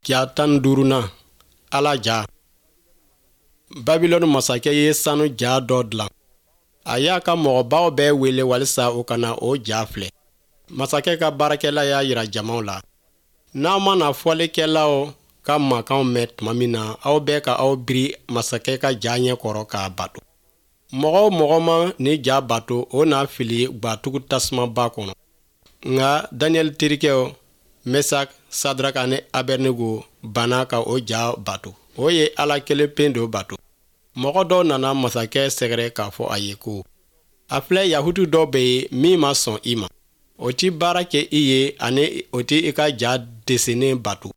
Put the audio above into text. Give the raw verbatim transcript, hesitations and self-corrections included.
Ja tan ni duurunan, Ala ja. Babilɔni masakɛ ye sanu ja dɔ dilan. A y'a ka mɔgɔbaw bɛɛ wele walisa u ka na o ja filɛ. Masakɛ ka baarakɛla y'a jira jamaw la: N'aw mana fɔlikɛlaw ka mankanw mɛn tuma min na, aw bɛɛ ka aw biri masakɛ ka ja ɲɛ kɔrɔ k'a bato. Mɔgɔ o mɔgɔ ma nin ja bato, o na fili gwatugu tasumaba kɔnɔ. Nka Daniyɛli terikɛw Mesak, Sadrak ani Abɛdnego banna ka o ja bato. O ye Ala kelen pe dɔ bato. Mɔgɔ dɔw nana masakɛ sɛgɛrɛ k'a fɔ a ye ko: A filɛ, Yahutu dɔ bɛ yen min ma sɔn i ma. O tɛ baara kɛ i ye ani o tɛ i ka ja desenen bato.